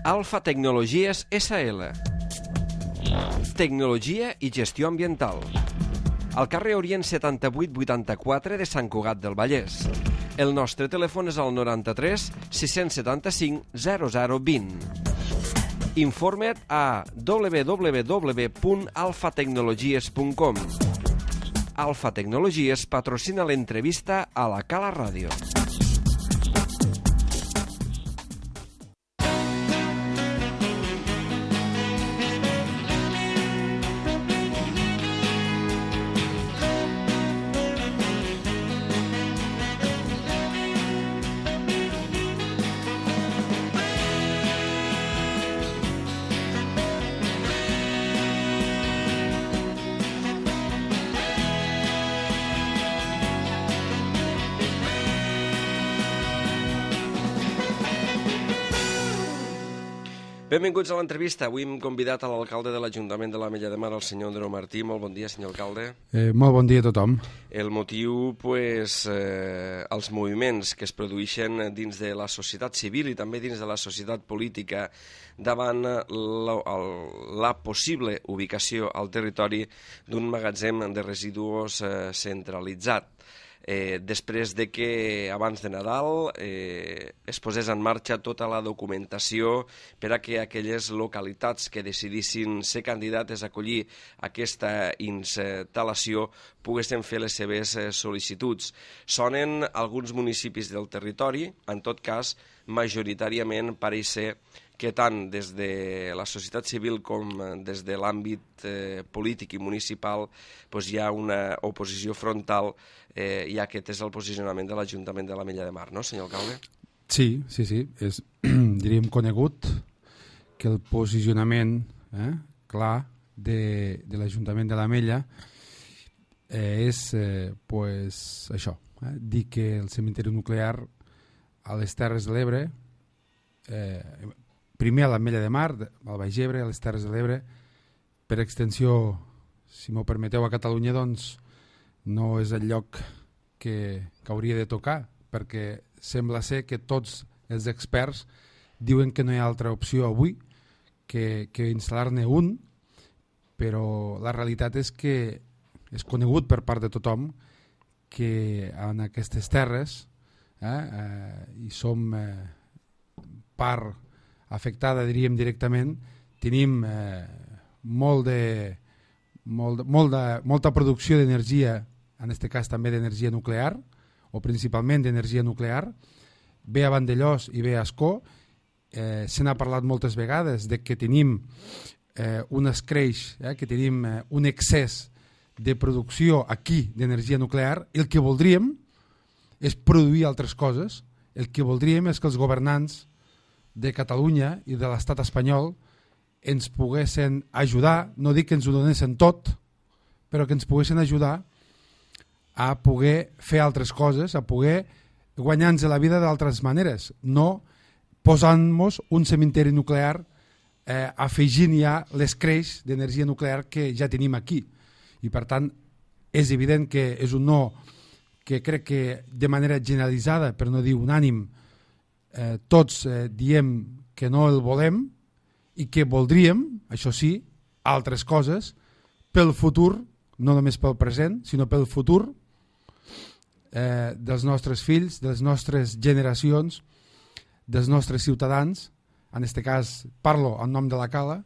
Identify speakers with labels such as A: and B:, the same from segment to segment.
A: Alfa Tecnologies SL. Tecnologia i gestió ambiental. Al carrer Orient 7884 de Sant Cugat del Vallès. El nostre telèfon és el 93 675 0020. Informa't a www.alfatecnologies.com. Alfa Tecnologies patrocina l'entrevista a la Cala Ràdio. Benvinguts a l'entrevista. Avui hem convidat a l'alcalde de l'Ajuntament de l'Ametlla de Mar, el senyor Andreu Martí. Molt bon dia, senyor alcalde.
B: Molt bon dia a tothom.
A: El motiu, els moviments que es produeixen dins de la societat civil i també dins de la societat política davant la possible ubicació al territori d'un magatzem de residus centralitzat. Després de que abans de Nadal es posés en marxa tota la documentació per a que aquelles localitats que decidissin ser candidates a acollir aquesta instal·lació poguessin fer les seves sol·licituds. Sonen alguns municipis del territori, en tot cas, majoritàriament pareix ser que tant des de la societat civil com des de l'àmbit polític i municipal hi ha una oposició frontal i aquest és el posicionament de l'Ajuntament de l'Ametlla de Mar, no, senyor alcalde?
B: Sí. És, diríem, conegut que el posicionament clar de l'Ajuntament de l'Ametlla és això, dir que el cementiri nuclear a les Terres de l'Ebre, primer a l'Ametlla de Mar, al Baix Ebre, a les Terres de l'Ebre, per extensió, si m'ho permeteu, a Catalunya, doncs no és el lloc que hauria de tocar, perquè sembla ser que tots els experts diuen que no hi ha altra opció avui que instal·lar-ne un, però la realitat és que és conegut per part de tothom que en aquestes terres i som part afectada, diríem directament, tenim molta producció d'energia, en aquest cas també d'energia nuclear, o principalment d'energia nuclear, ve a Vandellòs i ve a Ascó. Se n'ha parlat moltes vegades de que tenim un escreix, que tenim un excés de producció aquí d'energia nuclear. El que voldríem és produir altres coses. El que voldríem és que els governants de Catalunya i de l'estat espanyol ens poguessin ajudar, no dic que ens ho donessin tot, però que ens poguessin ajudar a poder fer altres coses, a poder guanyar-nos la vida d'altres maneres, no posant-nos un cementiri nuclear afegint ja l'escreix d'energia nuclear que ja tenim aquí. I per tant és evident que és un no que crec que de manera generalitzada, per no dir unànim, tots diem que no el volem i que voldríem, això sí, altres coses pel futur, no només pel present, sinó pel futur dels nostres fills, de les nostres generacions, dels nostres ciutadans. En aquest cas parlo en nom de la Cala.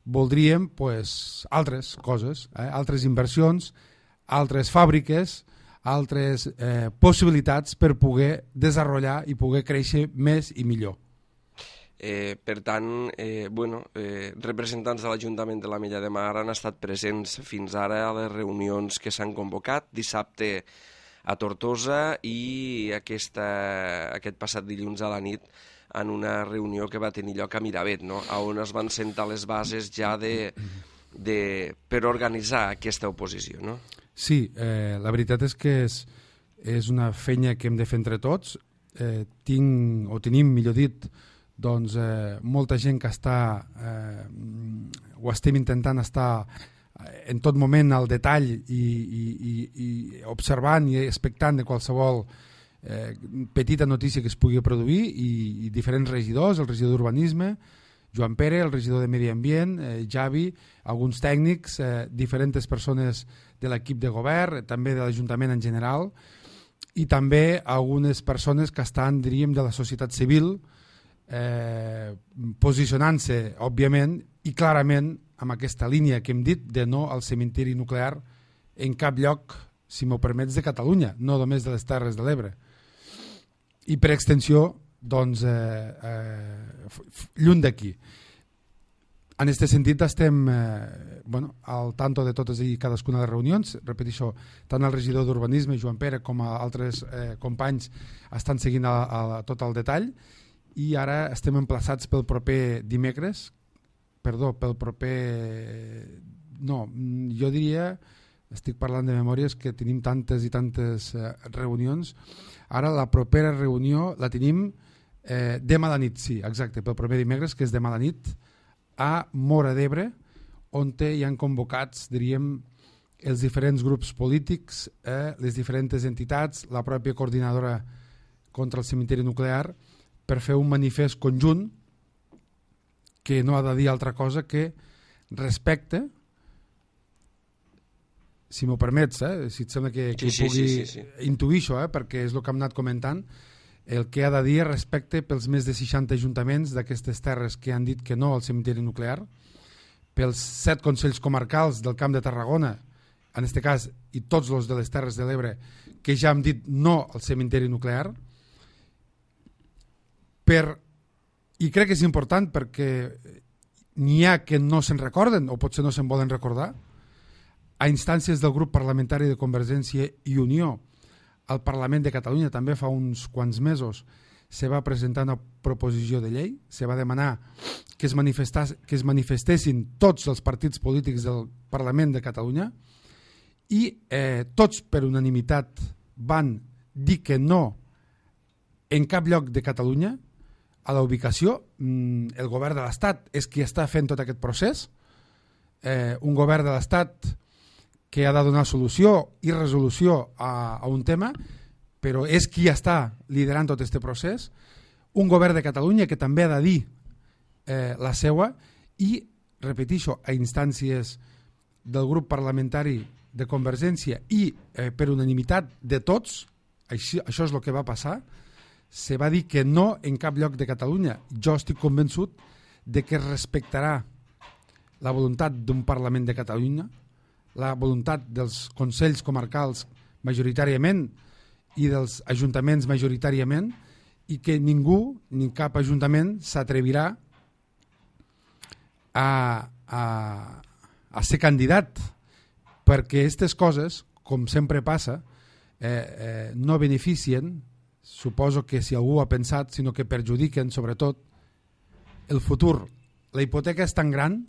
B: Voldríem altres coses, altres inversions, altres fàbriques, altres possibilitats per poder desenvolupar i poder créixer més i millor.
A: Per tant, representants de l'Ajuntament de l'Ametlla de Mar han estat presents fins ara a les reunions que s'han convocat dissabte a Tortosa i aquest passat dilluns a la nit en una reunió que va tenir lloc a Miravet, no? On es van sentar les bases ja per organitzar aquesta oposició, no?
B: Sí, la veritat és que és una feina que hem de fer entre tots. Tenim, millor dit, doncs, molta gent que ho estem intentant estar en tot moment al detall i observant i expectant de qualsevol petita notícia que es pugui produir i diferents regidors, el regidor d'Urbanisme, Joan Pere, el regidor de Medi Ambient, Javi, alguns tècnics, diferents persones de l'equip de govern, també de l'Ajuntament en general, i també algunes persones que estan, diríem, de la societat civil, posicionant-se, òbviament, i clarament amb aquesta línia que hem dit de no al cementiri nuclear en cap lloc, si m'ho permets, de Catalunya, no només de les Terres de l'Ebre. I per extensió, doncs, lluny d'aquí. En aquest sentit estem al tanto de totes i cadascuna de les reunions. Repeteixo, tant el regidor d'Urbanisme, Joan Pere, com altres companys estan seguint tot el detall, i ara estem emplaçats pel proper dimecres, jo diria, estic parlant de memòries, que tenim tantes i tantes reunions. Ara la propera reunió la tenim demà a la nit, sí, exacte, pel proper dimecres, que és demà a la nit, a Móra d'Ebre, on hi han convocats, diríem, els diferents grups polítics, les diferents entitats, la pròpia coordinadora contra el cementiri nuclear, per fer un manifest conjunt que no ha de dir altra cosa que respecte, si m'ho permets, si et sembla que pugui intuir això, perquè és el que hem anat comentant, el que ha de dir respecte pels més de 60 ajuntaments d'aquestes terres que han dit que no al cementiri nuclear, pels 7 consells comarcals del Camp de Tarragona, en aquest cas, i tots els de les Terres de l'Ebre, que ja han dit no al cementiri nuclear, i crec que és important perquè n'hi ha que no se'n recorden o potser no se'n volen recordar. A instàncies del grup parlamentari de Convergència i Unió, al Parlament de Catalunya també fa uns quants mesos se va presentar una proposició de llei, se va demanar que es manifestessin tots els partits polítics del Parlament de Catalunya i tots per unanimitat van dir que no en cap lloc de Catalunya a la ubicació. El govern de l'Estat és qui està fent tot aquest procés, un govern de l'Estat que ha de donar solució i resolució a un tema, però és qui està liderant tot aquest procés, un govern de Catalunya que també ha de dir la seua, i, repeteixo, a instàncies del grup parlamentari de Convergència i per unanimitat de tots, això és el que va passar, se va dir que no en cap lloc de Catalunya. Jo estic convençut de que es respectarà la voluntat d'un Parlament de Catalunya, la voluntat dels consells comarcals majoritàriament i dels ajuntaments majoritàriament, i que ningú, ni cap ajuntament, s'atrevirà a ser candidat, perquè aquestes coses, com sempre passa, no beneficien, suposo que si algú ha pensat, sinó que perjudiquen sobretot el futur. La hipoteca és tan gran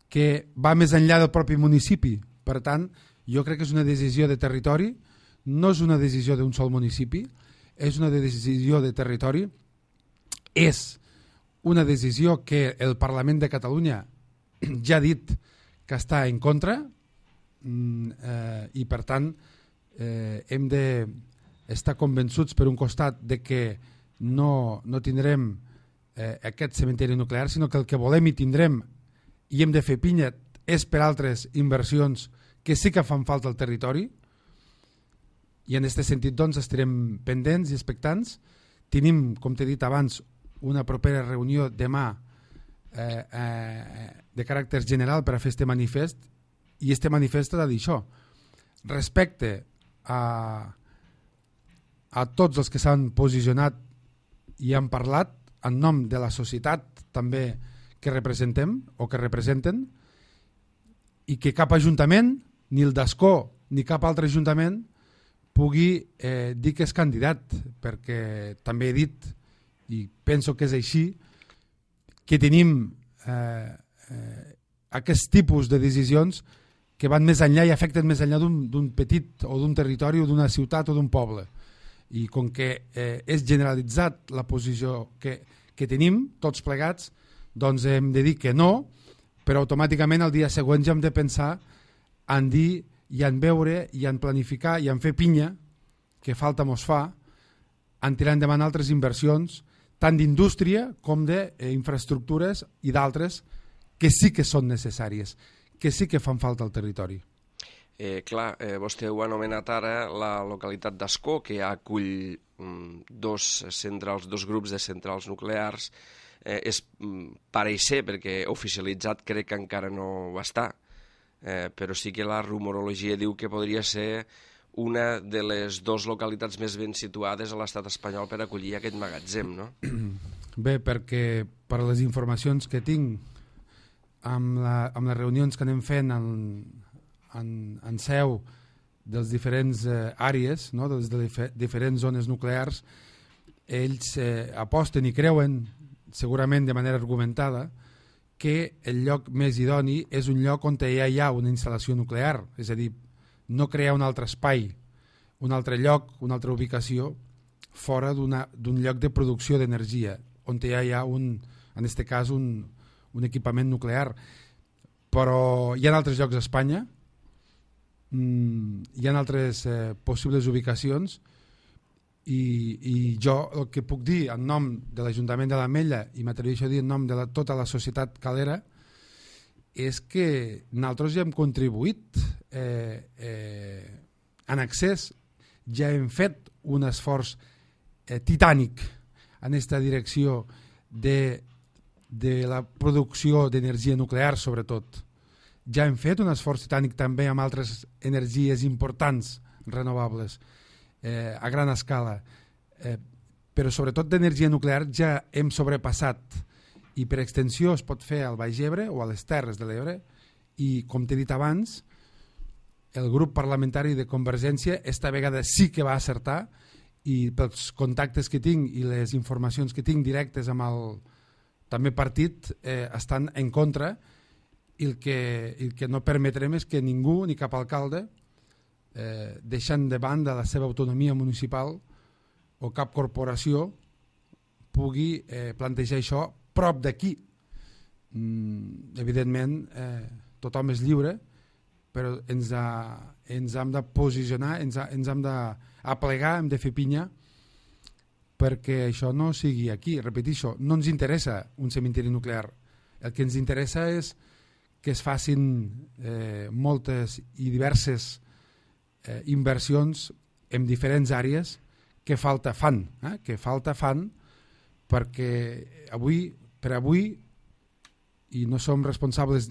B: que va més enllà del propi municipi. Per tant, jo crec que és una decisió de territori, no és una decisió d'un sol municipi, és una decisió de territori, és una decisió que el Parlament de Catalunya ja ha dit que està en contra, i per tant hem d'estar convençuts per un costat de que no tindrem aquest cementiri nuclear, sinó que el que volem i tindrem i hem de fer pinya és per altres inversions que sí que fan falta al territori, i en aquest sentit doncs estarem pendents i expectants. Tenim, com t'he dit abans, una propera reunió demà de caràcter general per a fer este manifest, i este manifest ha de dir això: respecte a tots els que s'han posicionat i han parlat en nom de la societat també que representem o que representen, i que cap ajuntament, ni el d'Ascó ni cap altre ajuntament, pugui dir que és candidat, perquè també he dit, i penso que és així, que tenim aquest tipus de decisions que van més enllà i afecten més enllà d'un petit o d'un territori o d'una ciutat o d'un poble. I com que és generalitzat la posició que tenim tots plegats, doncs hem de dir que no, però automàticament el dia següent ja hem de pensar en dir i en veure i en planificar i en fer pinya, que falta mos fa, en tirar endavant altres inversions, tant d'indústria com d'infraestructures i d'altres que sí que són necessàries, que sí que fan falta al territori.
A: Vostè ho ha anomenat ara la localitat d'Ascó, que acull dos grups de centrals nuclears. Pareix ser, perquè oficialitzat crec que encara no ho està, però sí que la rumorologia diu que podria ser una de les dues localitats més ben situades a l'estat espanyol per acollir aquest magatzem, no?
B: Bé, perquè per les informacions que tinc amb les reunions que anem fent en seu dels diferents àrees, no? de les diferents zones nuclears, ells aposten i creuen, segurament de manera argumentada, que el lloc més idoni és un lloc on ja hi ha una instal·lació nuclear, és a dir, no crear un altre espai, un altre lloc, una altra ubicació fora d'un lloc de producció d'energia, on ja hi ha en aquest cas un equipament nuclear. Però hi ha altres llocs a Espanya, hi ha altres possibles ubicacions, i jo el que puc dir en nom de l'Ajuntament de l'Ametlla, i m'atreveixo a dir en nom de tota la societat calera, és que nosaltres ja hem contribuït en accés, ja hem fet un esforç titànic en aquesta direcció de la producció d'energia nuclear, sobretot. Ja hem fet un esforç titànic també amb altres energies importants renovables a gran escala, però sobretot d'energia nuclear ja hem sobrepassat, i per extensió es pot fer al Baix Ebre o a les Terres de l'Ebre, i com t'he dit abans, el grup parlamentari de Convergència esta vegada sí que va acertar, i pels contactes que tinc i les informacions que tinc directes amb el també partit estan en contra, i el que no permetrem és que ningú, ni cap alcalde, deixant de banda la seva autonomia municipal o cap corporació, pugui plantejar això prop d'aquí. Evidentment, tothom és lliure, però ens hem de posicionar, ens hem d'aplegar, hem de fer pinya perquè això no sigui aquí. Repeteixo, no ens interessa un cementiri nuclear. El que ens interessa és que es facin moltes i diverses inversions en diferents àrees que falta fan, perquè per avui, i no som responsables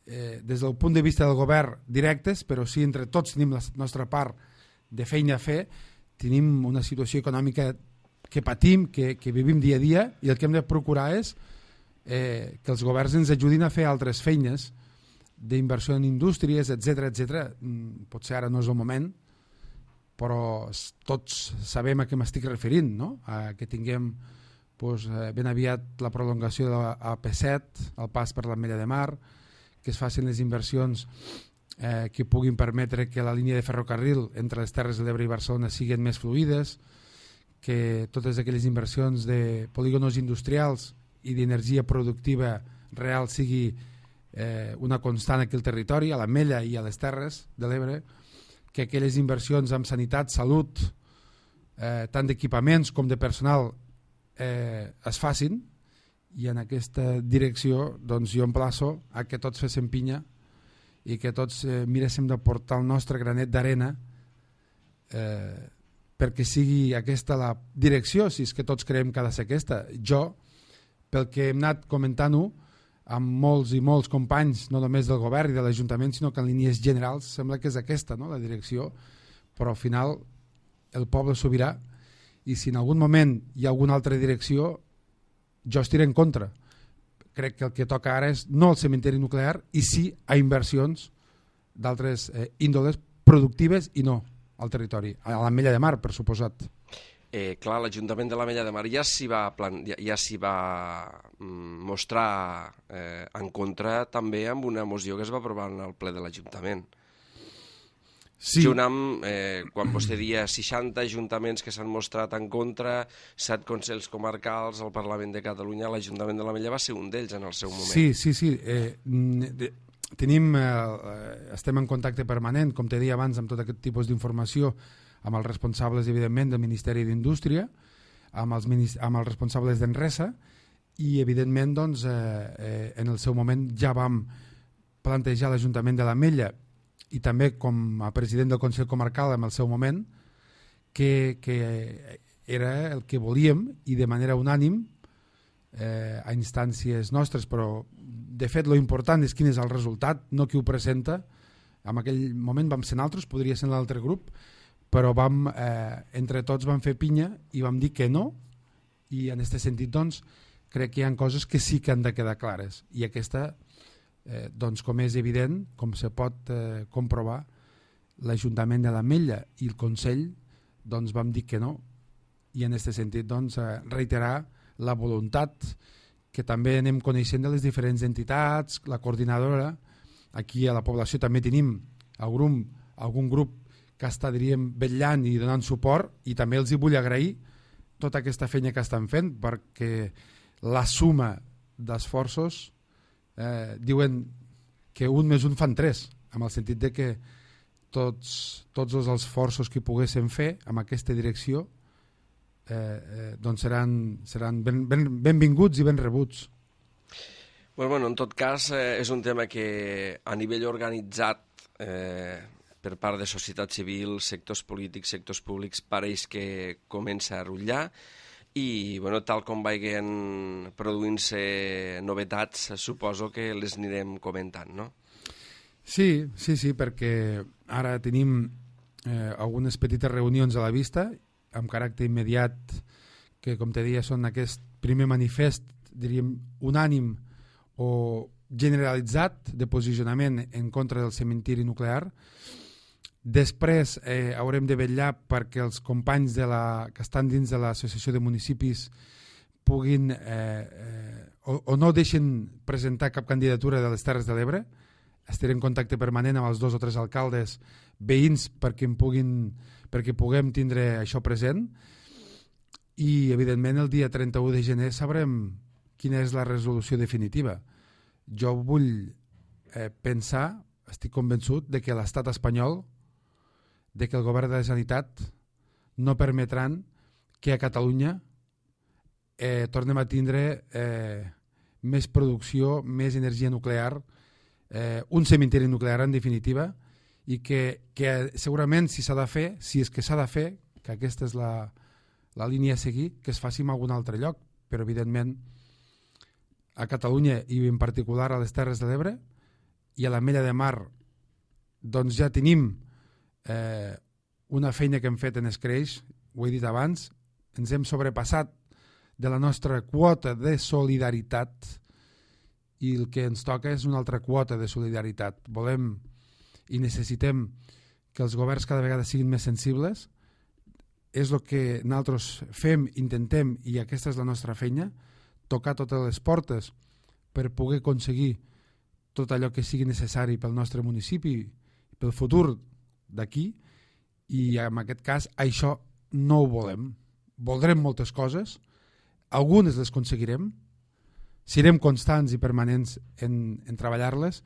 B: des del punt de vista del govern directes, però sí entre tots tenim la nostra part de feina a fer, tenim una situació econòmica que patim, que vivim dia a dia, i el que hem de procurar és que els governs ens ajudin a fer altres feines d'inversió en indústries, etc. Potser ara no és el moment, però tots sabem a què m'estic referint, no? A que tinguem ben aviat la prolongació de la AP7, el pas per l'Ametlla de Mar, que es facin les inversions que puguin permetre que la línia de ferrocarril entre les Terres de l'Ebre i Barcelona siguin més fluides, que totes aquelles inversions de polígonos industrials i d'energia productiva real sigui una constant aquí al territori, a l'Ametlla i a les Terres de l'Ebre, que aquelles inversions en sanitat, salut, tant d'equipaments com de personal es facin, i en aquesta direcció doncs, jo emplaço a que tots féssim pinya i que tots miréssim de portar el nostre granet d'arena perquè sigui aquesta la direcció, si és que tots creiem que ha de ser aquesta. Jo, pel que hem anat comentant-ho amb molts i molts companys, no només del govern i de l'Ajuntament, sinó que en línies generals sembla que és aquesta, no?, la direcció, però al final el poble és sobirà, i si en algun moment hi ha alguna altra direcció, jo estiré en contra. Crec que el que toca ara és no el cementiri nuclear, i sí a inversions d'altres índoles productives i no al territori, a l'Ametlla de Mar, per suposat.
A: Clar, l'Ajuntament de l'Ametlla de Mar ja s'hi va mostrar en contra també amb una moció que es va aprovar en el ple de l'Ajuntament. Sí. Junt amb, quan vostè dia 60 ajuntaments que s'han mostrat en contra, 7 consells comarcals al Parlament de Catalunya, l'Ajuntament de l'Ametlla va ser un d'ells en el seu moment.
B: Sí. Estem en contacte permanent, com t'he dit abans, amb tot aquest tipus d'informació, amb els responsables, evidentment, del Ministeri d'Indústria, amb els responsables d'Enresa, i evidentment doncs, en el seu moment ja vam plantejar l'Ajuntament de l'Ametlla i també com a president del Consell Comarcal en el seu moment que era el que volíem i de manera unànim a instàncies nostres, però de fet lo important és quin és el resultat, no qui ho presenta. En aquell moment vam ser nosaltres, podria ser l'altre grup, però entre tots vam fer pinya i vam dir que no, i en aquest sentit doncs crec que hi ha coses que sí que han de quedar clares, i aquesta doncs com és evident, com se pot comprovar, l'Ajuntament de l'Ametlla i el Consell doncs vam dir que no, i en aquest sentit doncs reiterar la voluntat que també anem coneixent de les diferents entitats, la coordinadora. Aquí a la població també tenim algun grup que està, diríem, vetllant i donant suport, i també els hi vull agrair tota aquesta feina que estan fent, perquè la suma d'esforços diuen que 1 més 1 fan 3, en el sentit de que tots els esforços que poguéssim fer en aquesta direcció doncs seran benvinguts i ben rebuts.
A: Bueno, en tot cas, és un tema que a nivell organitzat per part de societat civil, sectors polítics, sectors públics, pareix que comença a rutllar, i tal com vagin produint-se novetats, suposo que les anirem comentant, no?
B: Sí, perquè ara tenim algunes petites reunions a la vista, amb caràcter immediat, que com te deia són aquest primer manifest, diríem, unànim o generalitzat de posicionament en contra del cementiri nuclear. Després haurem de vetllar perquè els companys que estan dins de l'Associació de Municipis puguin o no deixen presentar cap candidatura de les Terres de l'Ebre. Estaré en contacte permanent amb els 2 o 3 alcaldes veïns perquè puguem tindre això present, i evidentment el dia 31 de gener sabrem quina és la resolució definitiva. Jo vull pensar, estic convençut de que l'estat espanyol, de que el govern de la Generalitat no permetran que a Catalunya tornem a tindre més producció, més energia nuclear, un cementiri nuclear en definitiva, i que segurament si s'ha de fer, si és que s'ha de fer, que aquesta és la línia a seguir, que es faci en algun altre lloc, però evidentment a Catalunya i en particular a les Terres de l'Ebre i a l'Ametlla de Mar doncs ja tenim una feina que hem fet en escreix, ho he dit abans, ens hem sobrepassat de la nostra quota de solidaritat i el que ens toca és una altra quota de solidaritat. Volem i necessitem que els governs cada vegada siguin més sensibles. És el que nosaltres fem, intentem, i aquesta és la nostra feina, tocar totes les portes per poder aconseguir tot allò que sigui necessari pel nostre municipi, pel futur d'aquí, i en aquest cas això no ho volem. Voldrem moltes coses, algunes les aconseguirem, serem constants i permanents en treballar-les,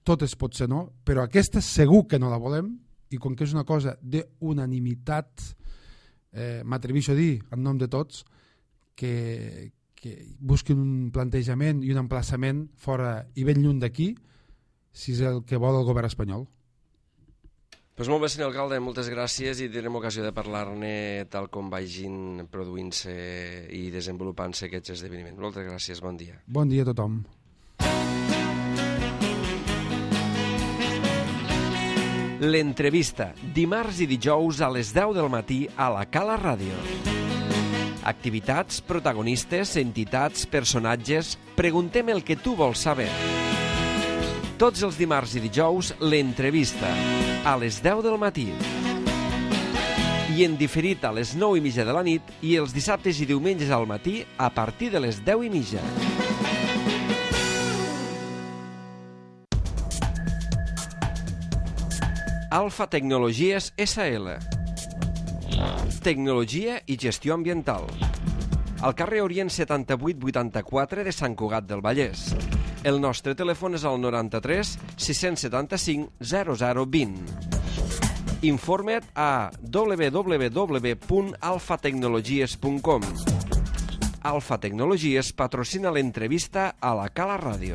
B: totes potser no, però aquesta segur que no la volem, i com que és una cosa d'unanimitat, m'atreveixo a dir en nom de tots que busquin un plantejament i un emplaçament fora i ben lluny d'aquí, si és el que vol el govern espanyol.
A: Pues molt bé, senyor alcalde, moltes gràcies, i tindrem ocasió de parlar-ne tal com vagin produint-se i desenvolupant-se aquests esdeveniments. Moltes gràcies, bon dia.
B: Bon dia a tothom.
A: L'entrevista, dimarts i dijous a les 10 del matí a la Cala Ràdio. Activitats, protagonistes, entitats, personatges... Preguntem el que tu vols saber. Tots els dimarts i dijous, l'entrevista, a les 10 del matí. I en diferit a les 9:30 de la nit i els dissabtes i diumenges al matí a partir de les 10:30. Alfa Tecnologies SL. Tecnologia i gestió ambiental. Al carrer Orient 7884 de Sant Cugat del Vallès. El nostre telèfon és el 93 675 0020. Informa't a www.alfatecnologies.com. Alfa Tecnologies patrocina l'entrevista a la Cala Ràdio.